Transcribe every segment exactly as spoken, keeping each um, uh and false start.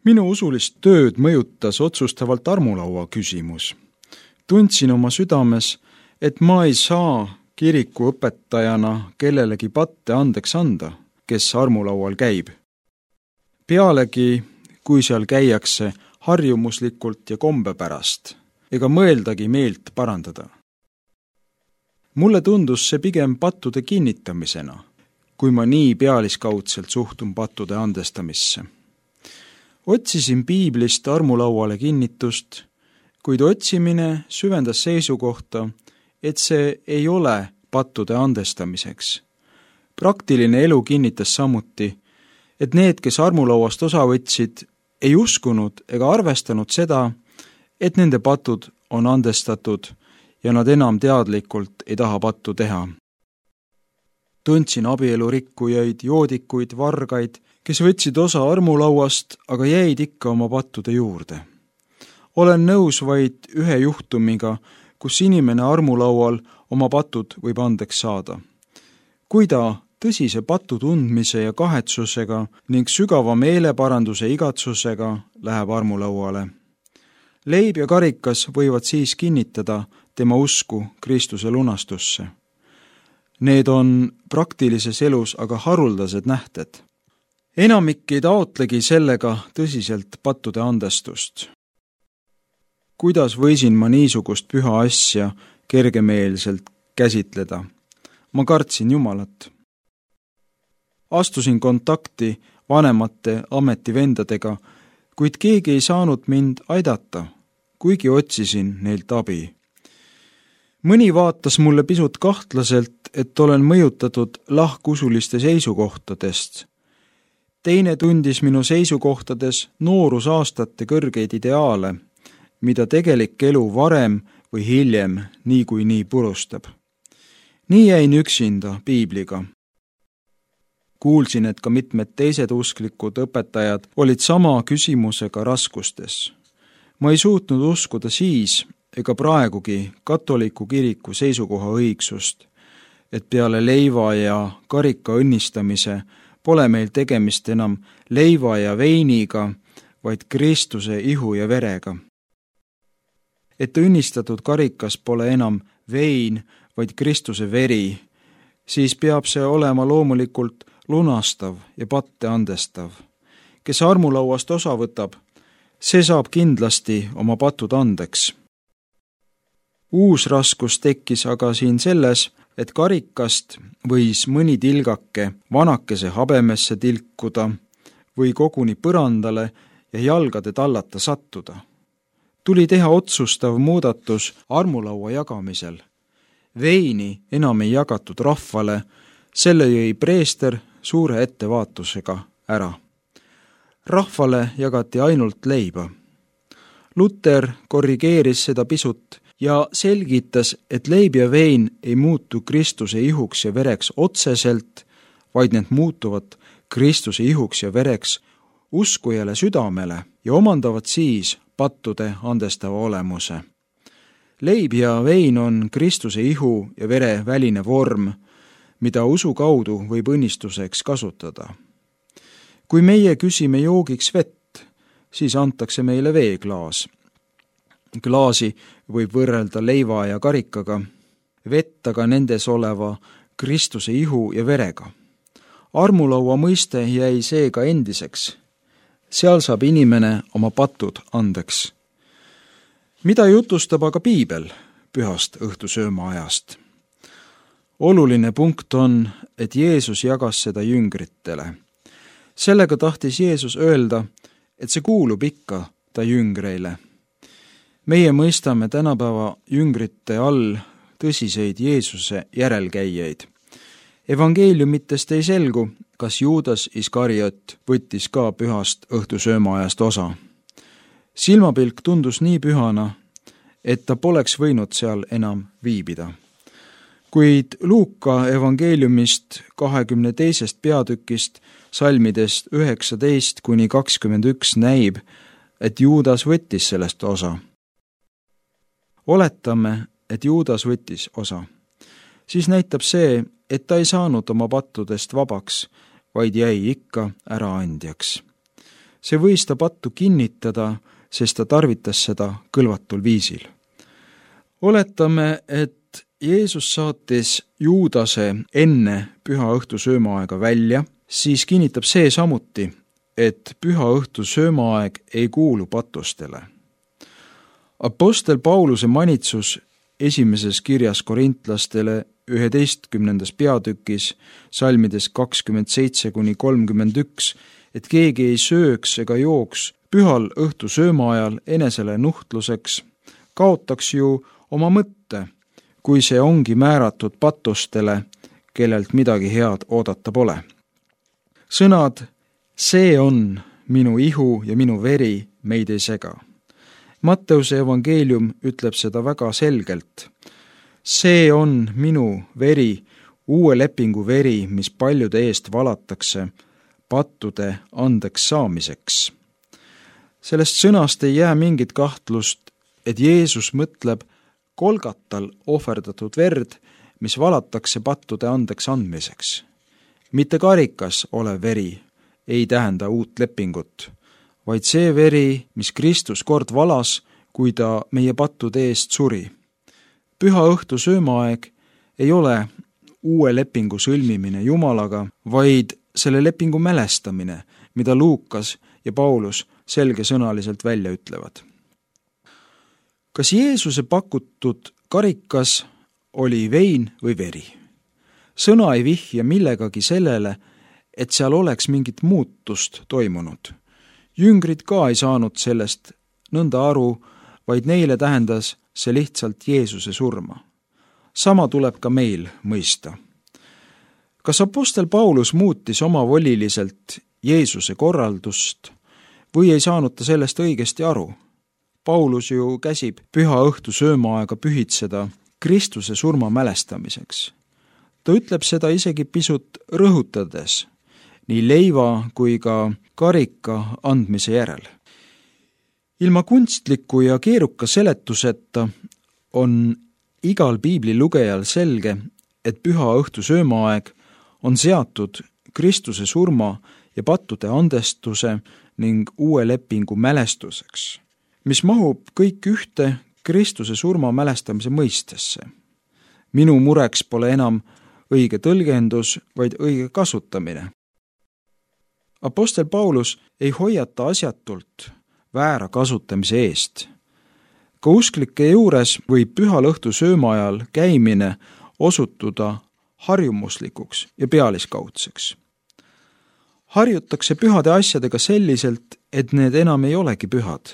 Minu usulist tööd mõjutas otsustavalt armulaua küsimus. Tundsin oma südames, et ma ei saa kiriku õpetajana kellelegi patte andeks anda, kes armulaual käib. Pealegi, kui seal käiakse harjumuslikult ja kombe pärast, ega mõeldagi meelt parandada. Mulle tundus see pigem pattude kinnitamisena, kui ma nii pealiskaudselt suhtun pattude andestamisse. Otsisin piiblist armulauale kinnitust, kuid otsimine süvendas seisukohta, et see ei ole pattude andestamiseks. Praktiline elu kinnitas samuti, et need, kes armulauast osa võtsid, ei uskunud ega arvestanud seda, et nende patud on andestatud ja nad enam teadlikult ei taha pattu teha. Tundsin abielurikkujaid, joodikuid, vargaid, kes võtsid osa armulauast, aga jäid ikka oma pattude juurde. Olen nõus vaid ühe juhtumiga, kus inimene armulaual oma patud võib andeks saada. Kui ta tõsise patu tundmise ja kahetsusega ning sügava meeleparanduse igatsusega läheb armulauale. Leib ja karikas võivad siis kinnitada tema usku Kristuse lunastusse. Need on praktilises elus aga haruldased nähted. Enamik ei taotlegi sellega tõsiselt pattude andestust. Kuidas võisin ma niisugust püha asja kergemeelselt käsitleda? Ma kartsin Jumalat. Astusin kontakti vanemate ametivendadega, kuid keegi ei saanud mind aidata, kuigi otsisin neilt abi. Mõni vaatas mulle pisut kahtlaselt, et olen mõjutatud lahkusuliste seisukohtadest. Teine tundis minu seisukohtades noorusaastate kõrgeid ideaale, mida tegelik elu varem või hiljem nii kui nii purustab. Nii jäin üksinda piibliga. Kuulsin, et ka mitmed teised usklikud õpetajad olid sama küsimusega raskustes. Ma ei suutnud uskuda siis ega praegugi katoliku kiriku seisukoha õigsust, et peale leiva ja karika õnnistamise pole meil tegemist enam leiva ja veiniga, vaid Kristuse ihu ja verega. Et õnnistatud karikas pole enam vein, vaid Kristuse veri, siis peab see olema loomulikult lunastav ja patte andestav. Kes armulauast osa võtab, see saab kindlasti oma patud andeks. Uus raskus tekkis aga siin selles, et karikast võis mõni tilgake vanakese habemesse tilkuda või koguni põrandale ja jalgade tallata sattuda. Tuli teha otsustav muudatus armulaua jagamisel. Veini enam ei jagatud rahvale, selle jõi preester suure ettevaatusega ära. Rahvale jagati ainult leiba. Luter korrigeeris seda pisut ja selgitas, et leib ja vein ei muutu Kristuse ihuks ja vereks otseselt, vaid need muutuvad Kristuse ihuks ja vereks uskujale südamele ja omandavad siis pattude andestava olemuse. Leib ja vein on Kristuse ihu ja vere väline vorm, mida usu kaudu võib õnnistuseks kasutada. Kui meie küsime joogiks vett, siis antakse meile veeklaas. Klaasi võib võrrelda leiva ja karikaga, vett aga nendes oleva Kristuse ihu ja verega. Armulaua mõiste jäi seega endiseks. Seal saab inimene oma patud andeks. Mida jutustab aga piibel pühast õhtusööma ajast? Oluline punkt on, et Jeesus jagas seda jüngritele. Sellega tahtis Jeesus öelda, et see kuulub ikka ta jüngreile. Meie mõistame tänapäeva jüngrite all tõsiseid Jeesuse järelkäijaid. Evangeeliumitest ei selgu, kas Juudas Iskariot võttis ka pühast õhtusööma ajast osa. Silmapilk tundus nii pühana, et ta poleks võinud seal enam viibida. Kuid Luuka evangeeliumist kahekümne teisest peatükist salmidest üheksateist kuni kakskümmend üks näib, et Juudas võttis sellest osa. Oletame, et Juudas võttis osa. Siis näitab see, et ta ei saanud oma pattudest vabaks, vaid jäi ikka äraandjaks. see võis ta pattu kinnitada, sest ta tarvitas seda kõlvatul viisil. Oletame, et Jeesus saatis Juudase enne püha õhtu söömaaega välja, siis kinnitab see samuti, et püha õhtu söömaaeg ei kuulu patustele. Apostel Pauluse manitsus esimeses kirjas korintlastele üheteistkümnendas peatükis, salmides kakskümmend seitse kuni kolmkümmend üks, et keegi ei sööks ega jooks pühal õhtu söömaajal enesele nuhtluseks, kaotaks ju oma mõtte, kui see ongi määratud patustele, kellelt midagi head oodata pole. Sõnad, see on minu ihu ja minu veri, meid ei sega. Matteuse evangeelium ütleb seda väga selgelt. See on minu veri, uue lepingu veri, mis paljude eest valatakse pattude andeks saamiseks. Sellest sõnast ei jää mingit kahtlust, et Jeesus mõtleb Kolgatal ohverdatud verd, mis valatakse pattude andeks andmiseks. Mitte karikas olev veri ei tähenda uut lepingut, vaid see veri, mis Kristus kord valas, kui ta meie pattude eest suri. Püha õhtu söömaaeg ei ole uue lepingu sõlmimine Jumalaga, vaid selle lepingu mälestamine, mida Luukas ja Paulus selgesõnaliselt välja ütlevad. Kas Jeesuse pakutud karikas oli vein või veri? Sõna ei vihja millegagi sellele, et seal oleks mingit muutust toimunud. Jüngrid ka ei saanud sellest nõnda aru, vaid neile tähendas see lihtsalt Jeesuse surma. Sama tuleb ka meil mõista. Kas apostel Paulus muutis omavoliliselt Jeesuse korraldust või ei saanud ta sellest õigesti aru? Paulus ju käsib püha õhtu söömaaega pühitseda Kristuse surma mälestamiseks. Ta ütleb seda isegi pisut rõhutades, nii leiva kui ka karika andmise järel. Ilma kunstliku ja keeruka seletuseta on igal piibli lugejal selge, et püha õhtu söömaaeg on seatud Kristuse surma ja pattude andestuse ning uue lepingu mälestuseks, mis mahub kõik ühte Kristuse surma mälestamise mõistesse. Minu mureks pole enam õige tõlgendus, vaid õige kasutamine. Apostel Paulus ei hoiata asjatult väära kasutamise eest. Ka usklike juures võib pühal õhtu söömaajal käimine osutuda harjumuslikuks ja pealiskaudseks. Harjutakse pühade asjadega selliselt, et need enam ei olegi pühad.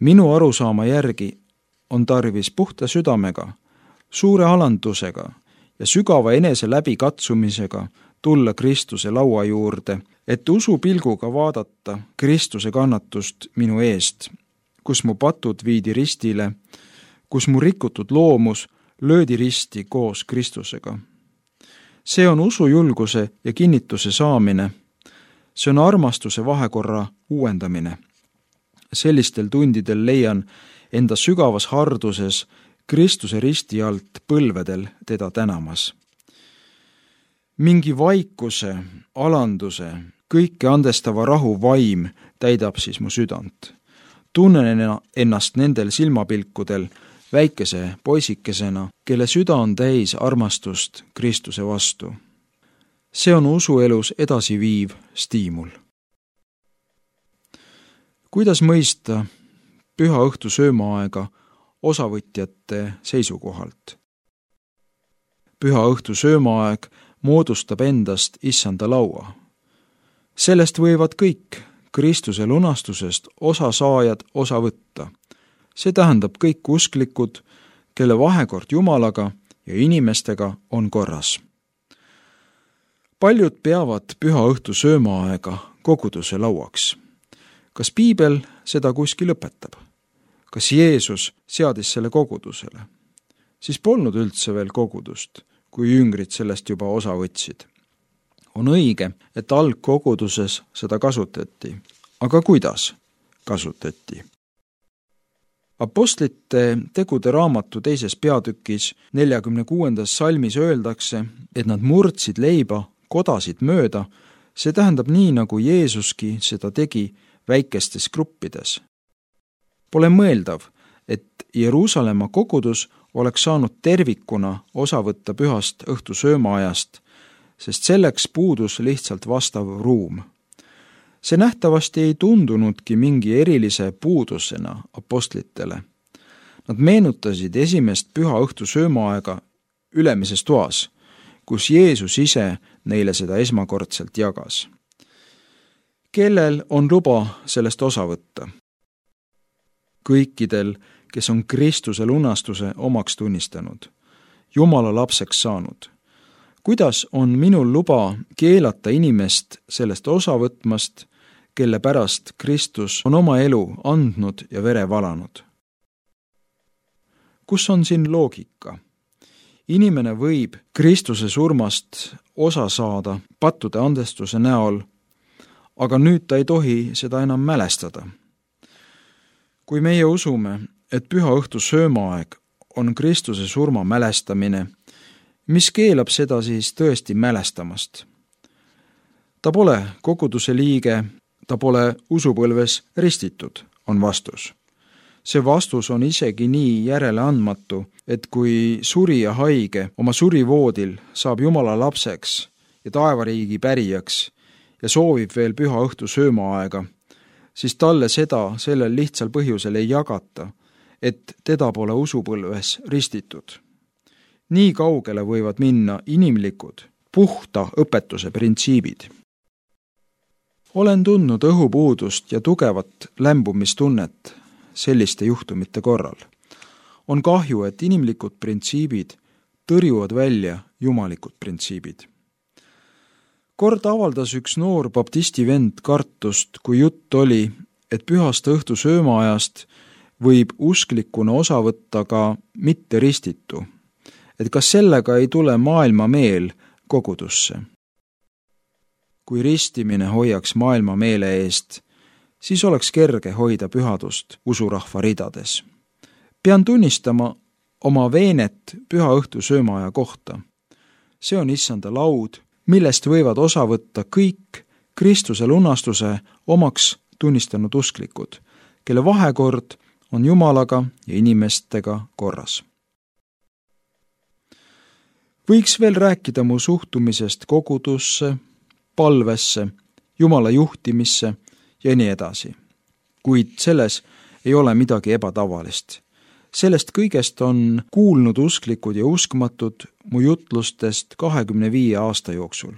Minu arusaama järgi on tarvis puhta südamega, suure alandusega ja sügava enese läbikatsumisega tulla Kristuse laua juurde, et usupilguga vaadata Kristuse kannatust minu eest, kus mu patud viidi ristile, kus mu rikutud loomus löödi risti koos Kristusega. See on usujulguse ja kinnituse saamine. See on armastuse vahekorra uuendamine. Sellistel tundidel leian enda sügavas harduses Kristuse risti alt põlvedel teda tänamas. Mingi vaikuse, alanduse, kõike andestava rahu vaim täidab siis mu südant. Tunnen ennast nendel silmapilkudel väikese poisikesena, kelle süda on täis armastust Kristuse vastu. See on usuelus edasiviiv stiimul. Kuidas mõista püha õhtu söömaaega osavõtjate seisukohalt? Püha õhtu söömaaeg moodustab endast issanda laua. Sellest võivad kõik Kristuse lunastusest osasaajad osa võtta. See tähendab kõik usklikud, kelle vahekord Jumalaga ja inimestega on korras. Paljud peavad püha õhtu söömaaega koguduse lauaks. Kas piibel seda kuskil õpetab? Kas Jeesus seadis selle kogudusele? Siis polnud üldse veel kogudust, kui jüngrid sellest juba osa võtsid. On õige, et algkoguduses seda kasutati. Aga kuidas kasutati? Apostlite tegude raamatu teises peatükis neljakümne kuuendas salmis öeldakse, et nad murdsid leiba, kodasid mööda, See tähendab nii, nagu Jeesuski seda tegi väikestes gruppides. Pole mõeldav, et Jeruusalemma kogudus oleks saanud tervikuna osa võtta pühast õhtusöömaajast, sest selleks puudus lihtsalt vastav ruum. See nähtavasti ei tundunudki mingi erilise puudusena apostlitele. Nad meenutasid esimest püha õhtusöömaaega ülemises toas, kus Jeesus ise neile seda esmakordselt jagas. Kellel on luba sellest osa võtta? Kõikidel, kes on Kristuse lunastuse omaks tunnistanud, Jumala lapseks saanud. Kuidas on minul luba keelata inimest sellest osa võtmast, kelle pärast Kristus on oma elu andnud ja vere valanud? Kus on siin loogika? Inimene võib Kristuse surmast osa saada pattude andestuse näol, aga nüüd ta ei tohi seda enam mälestada. Kui meie usume, et püha õhtu söömaaeg on Kristuse surma mälestamine, mis keelab seda siis tõesti mälestamast? Ta pole koguduse liige, ta pole usupõlves ristitud, on vastus. See vastus on isegi nii järeleandmatu, et kui surija haige oma surivoodil saab Jumala lapseks ja taevariigi pärijaks ja soovib veel püha õhtu söömaaega, siis talle seda sellel lihtsal põhjusel ei jagata, et teda pole usupõlves ristitud. Nii kaugele võivad minna inimlikud, puhta õpetuse printsiibid. Olen tundnud õhupuudust ja tugevat lämbumistunnet selliste juhtumite korral. On kahju, et inimlikud printsiibid tõrjuvad välja jumalikud printsiibid. Kord avaldas üks noor baptisti vend kartust, kui jutt oli, et pühast õhtu söömaajast võib usklikuna osa võtta ka mitte ristitu, et kas sellega ei tule maailma meel kogudusse. Kui ristimine hoiaks maailma meele eest, siis oleks kerge hoida pühadust usurahva ridades. Pean tunnistama oma veenet püha õhtu söömaaja kohta. See on issanda laud, millest võivad osa võtta kõik Kristuse lunastuse omaks tunnistanud usklikud, kelle vahekord on Jumalaga ja inimestega korras. Võiks veel rääkida mu suhtumisest kogudusse, palvesse, Jumala juhtimisse ja nii edasi. Kuid selles ei ole midagi ebatavalist. Sellest kõigest on kuulnud usklikud ja uskmatud mu jutlustest kahekümne viie aasta jooksul.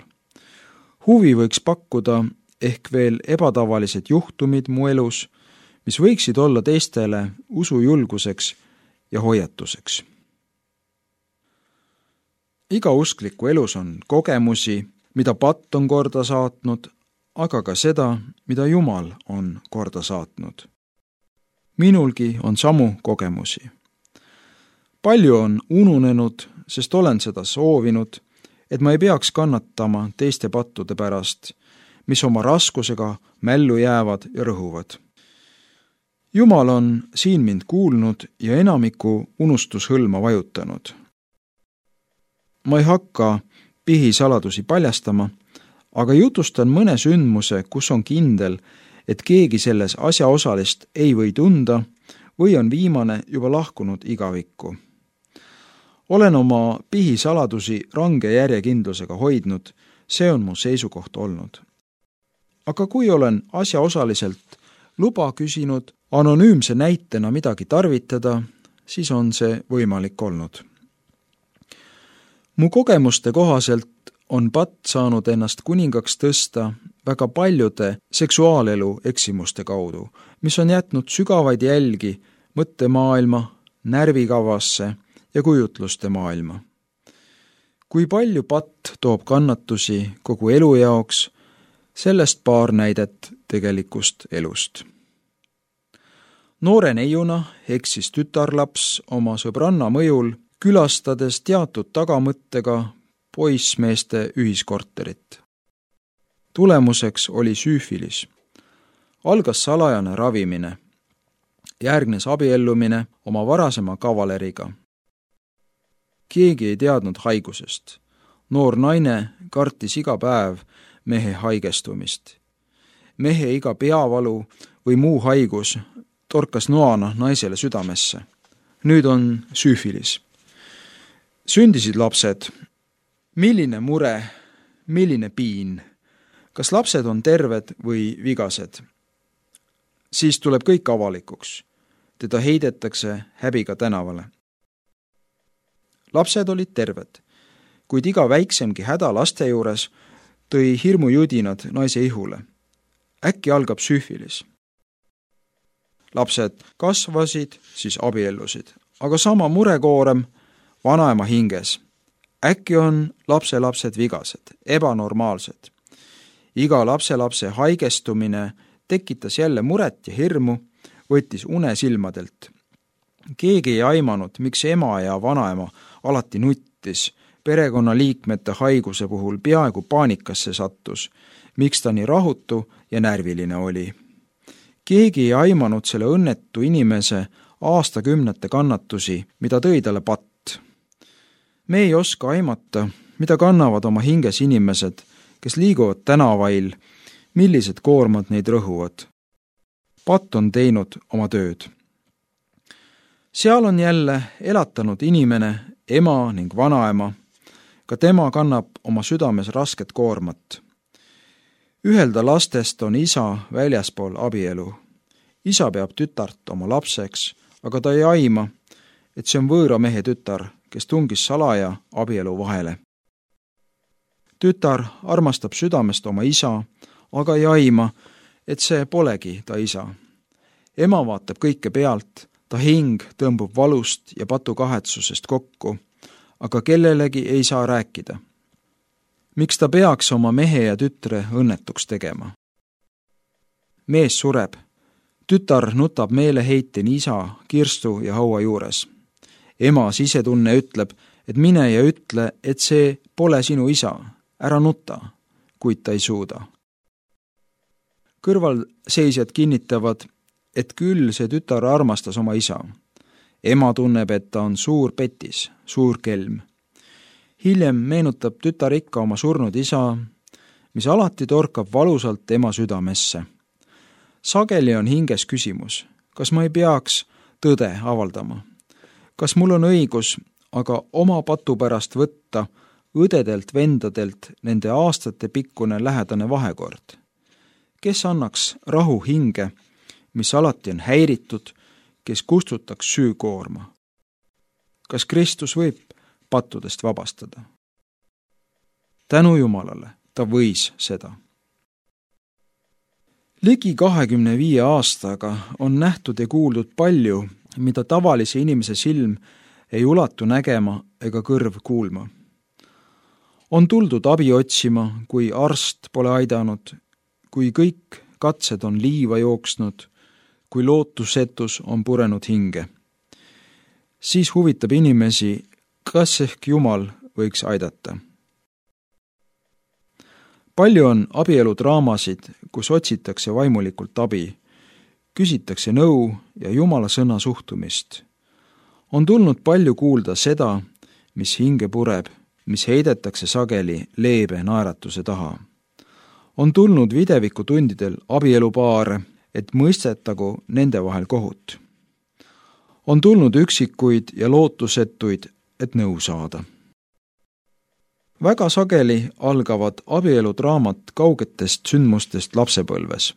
Huvi võiks pakkuda ehk veel ebatavalised juhtumid mu elus, mis võiksid olla teistele usujulguseks ja hoiatuseks. Iga uskliku elus on kogemusi, mida patt on korda saatnud, aga ka seda, mida Jumal on korda saatnud. Minulgi on samu kogemusi. Palju on ununenud, sest olen seda soovinud, et ma ei peaks kannatama teiste pattude pärast, mis oma raskusega mällu jäävad ja rõhuvad. Jumal on siin mind kuulnud ja enamiku unustushõlma vajutanud. Ma ei hakka pihisaladusi paljastama, aga jutustan mõne sündmuse, kus on kindel, et keegi selles asjaosalist ei või tunda või on viimane juba lahkunud igavikku. Olen oma pihisaladusi range järjekindlusega hoidnud, see on mu seisukoht olnud. Aga kui olen asjaosaliselt luba küsinud anonüümse näitena midagi tarvitada, siis on see võimalik olnud. Mu kogemuste kohaselt on patt saanud ennast kuningaks tõsta väga paljude seksuaalelu eksimuste kaudu, mis on jätnud sügavaid jälgi mõttemaailma, närvikavasse ja kujutluste maailma. Kui palju patt toob kannatusi kogu elu jaoks, sellest paar näidet tegelikust elust. Noore neiuna eksis tütarlaps oma sõbranna mõjul, külastades teatud tagamõttega poissmeeste ühiskorterit. Tulemuseks oli süüfilis. Algas salajane ravimine. Järgnes abiellumine oma varasema kavaleriga. Keegi ei teadnud haigusest. Noor naine kartis iga päev mehe haigestumist. Mehe iga peavalu või muu haigus torkas noana naisele südamesse. Nüüd on süüfilis. Sündisid lapsed. Milline mure, milline piin? Kas lapsed on terved või vigased? Siis tuleb kõik avalikuks. Teda heidetakse häbiga tänavale. Lapsed olid terved, kuid iga väiksemgi häda laste juures tõi hirmujudinad naise ihule. Äkki algab süüfilis. Lapsed kasvasid, siis abiellusid, aga sama murekoorem vanaema hinges. Äkki on lapselapsed vigased, ebanormaalsed. Iga lapselapse haigestumine tekitas jälle muret ja hirmu, võttis une silmadelt. Keegi ei aimanud, miks ema ja vanaema alati nuttis, perekonnaliikmete haiguse puhul peaaegu paanikasse sattus, miks ta nii rahutu ja närviline oli. Keegi ei aimanud selle õnnetu inimese aastakümnete kannatusi, mida tõi talle patt. Me ei oska aimata, mida kannavad oma hinges inimesed, kes liiguvad tänavail, millised koormad neid rõhuvad. Patt on teinud oma tööd. Seal on jälle elatanud inimene, ema ning vanaema. Ka tema kannab oma südames rasket koormat. Ühelda lastest on isa väljaspool abielu. Isa peab tütart oma lapseks, aga ta ei aima, et see on võõra mehe tütar, kes tungis salaja abielu vahele. Tütar armastab südamest oma isa, aga ei aima, et see polegi ta isa. Ema vaatab kõike pealt, ta hing tõmbub valust ja patu kahetsusest kokku, aga kellelegi ei saa rääkida. Miks ta peaks oma mehe ja tütre õnnetuks tegema? Mees sureb. Tütar nutab meeleheiteni isa, kirstu ja haua juures. Ema sisetunne ütleb, et mine ja ütle, et see pole sinu isa, ära nuta, kuid ta ei suuda. Kõrvalseisjad kinnitavad, et küll see tütar armastas oma isa. Ema tunneb, et ta on suur petis, suur kelm. Hiljem meenutab tütar ikka oma surnud isa, mis alati torkab valusalt ema südamesse. Sageli on hinges küsimus, kas ma ei peaks tõde avaldama? Kas mul on õigus aga oma patu pärast võtta õdedelt, vendadelt nende aastate pikkune lähedane vahekord? Kes annaks rahu hinge, mis alati on häiritud, kes kustutaks süükoorma? Kas Kristus võib pattudest vabastada? Tänu Jumalale, ta võis seda. Ligi kahekümne viie aastaga on nähtud ja kuuldud palju, mida tavalise inimese silm ei ulatu nägema ega kõrv kuulma. On tuldud abi otsima, kui arst pole aidanud, kui kõik katsed on liiva jooksnud, kui lootusetus on purenud hinge. Siis huvitab inimesi, kas ehk Jumal võiks aidata. Palju on abieludraamasid, kus otsitakse vaimulikult abi, küsitakse nõu ja Jumala sõna suhtumist. On tulnud palju kuulda seda, mis hinge pureb, mis heidetakse sageli leebe naeratuse taha. On tulnud videvikutundidel abielupaare, et mõistetagu nende vahel kohut. On tulnud üksikuid ja lootusetuid, et nõu saada. Väga sageli algavad abieludraamat kaugetest sündmustest lapsepõlves.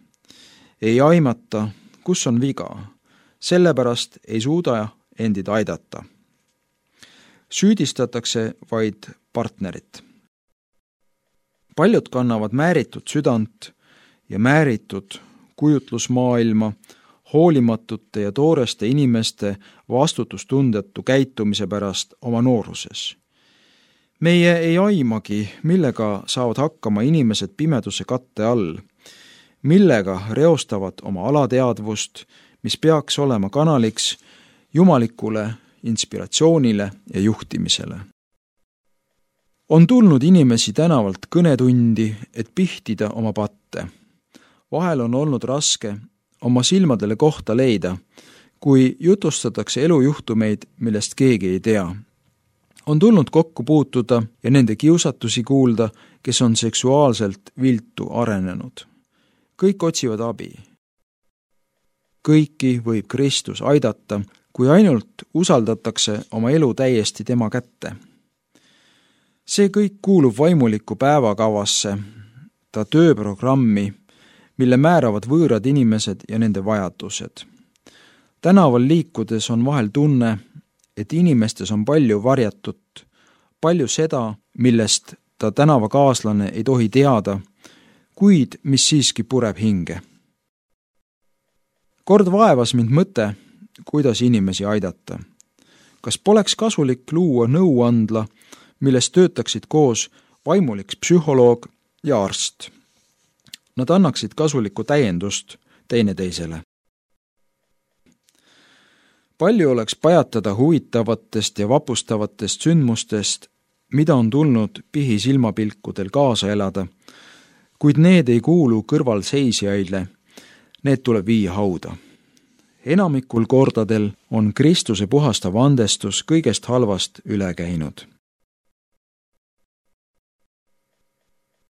Ei aimata, kus on viga, sellepärast ei suuda endid aidata. Süüdistatakse vaid partnerit. Paljud kannavad määritud südant ja määritud kujutlusmaailma hoolimatute ja tooreste inimeste vastutustundetu käitumise pärast oma nooruses. Meie ei aimagi, millega saavad hakkama inimesed pimeduse katte all, millega reostavad oma alateadvust, mis peaks olema kanaliks jumalikule inspiratsioonile ja juhtimisele. On tulnud inimesi tänavalt kõnetundi, et pihtida oma patte. Vahel on olnud raske oma silmadele kohta leida, kui jutustatakse elujuhtumeid, millest keegi ei tea. On tulnud kokku puutuda ja nende kiusatusi kuulda, kes on seksuaalselt viltu arenenud. Kõik otsivad abi. Kõiki võib Kristus aidata, kui ainult usaldatakse oma elu täiesti tema kätte. See kõik kuulub vaimuliku päevakavasse, ta tööprogrammi, mille määravad võõrad inimesed ja nende vajadused. Tänaval liikudes on vahel tunne, et inimestes on palju varjatut, palju seda, millest ta tänavakaaslane ei tohi teada, kuid mis siiski pureb hinge. Kord vaevas mind mõte, kuidas inimesi aidata. Kas poleks kasulik luua nõuandla, milles töötaksid koos vaimulik psühholoog ja arst? Nad annaksid kasulikku täiendust teineteisele. Palju oleks pajatada huvitavatest ja vapustavatest sündmustest, mida on tulnud pihisilmapilkudel kaasa elada, kuid need ei kuulu kõrvalseisjaile, need tuleb viia hauda. Enamikul kordadel on Kristuse puhastav andestus kõigest halvast üle käinud.